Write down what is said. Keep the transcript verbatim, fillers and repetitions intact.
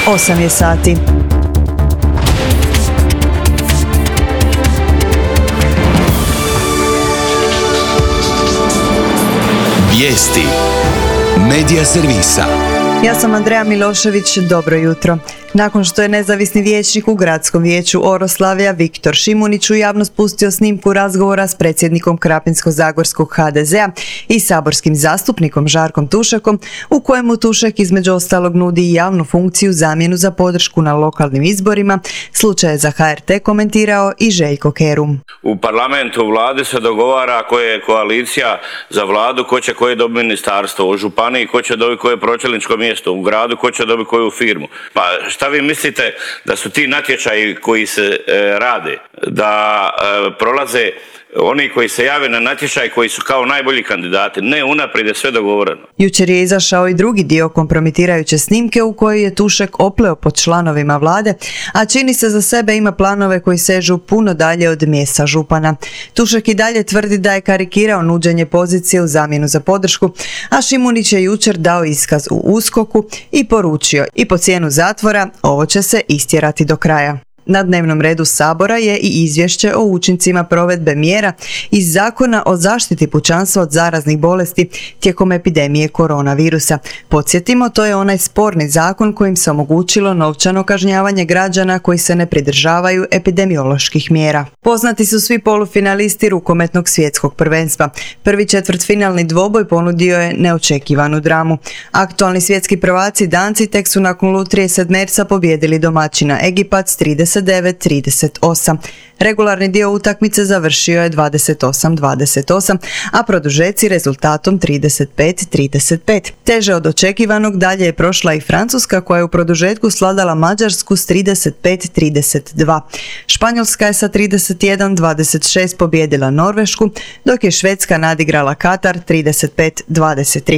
osam je sati. Vijesti Medija servisa. Ja sam Andreja Milošević, dobro jutro. Nakon što je nezavisni vijećnik u Gradskom vijeću Oroslavlja Viktor Šimunić u javnost pustio snimku razgovora s predsjednikom Krapinsko-zagorskog ha de zea i saborskim zastupnikom Žarkom Tušakom, u kojemu Tušak između ostalog nudi i javnu funkciju zamjenu za podršku na lokalnim izborima, slučaj je za ha er te komentirao i Željko Kerum. U parlamentu u vladi se dogovara koja je koalicija za vladu, ko će koje dobiti ministarstvo, u županiji ko će dobiti koje pročelničko mjesto, u gradu ko će dobiti koju firmu. Pa šta vi mislite da su ti natječaji koji se e, rade, da e, prolaze oni koji se jave na natječaj koji su kao najbolji kandidati? Ne, unaprijed je sve dogovoreno. Jučer je izašao i drugi dio kompromitirajuće snimke u kojoj je Tušak opleo pod članovima vlade, a čini se za sebe ima planove koji sežu puno dalje od mjesta župana. Tušak i dalje tvrdi da je karikirao nuđenje pozicije u zamjenu za podršku, a Šimunić je jučer dao iskaz u uskoku i poručio i po cijenu zatvora ovo će se istjerati do kraja. Na dnevnom redu Sabora je i izvješće o učincima provedbe mjera iz Zakona o zaštiti pučanstva od zaraznih bolesti tijekom epidemije koronavirusa. Podsjetimo, to je onaj sporni zakon kojim se omogućilo novčano kažnjavanje građana koji se ne pridržavaju epidemioloških mjera. Poznati su svi polufinalisti rukometnog svjetskog prvenstva. Prvi četvrtfinalni dvoboj ponudio je neočekivanu dramu. Aktualni svjetski prvaci Danci tek su nakon lutrije sedmerca pobijedili domaćina Egipat s trideset devet trideset osam. Regularni dio utakmice završio je dvadeset osam dvadeset osam, a produžeci rezultatom trideset pet trideset pet. Teže od očekivanog dalje je prošla i Francuska, koja je u produžetku svladala Mađarsku s trideset pet trideset dva. Španjolska je sa trideset jedan dvadeset šest pobijedila Norvešku, dok je Švedska nadigrala Katar trideset pet dvadeset tri.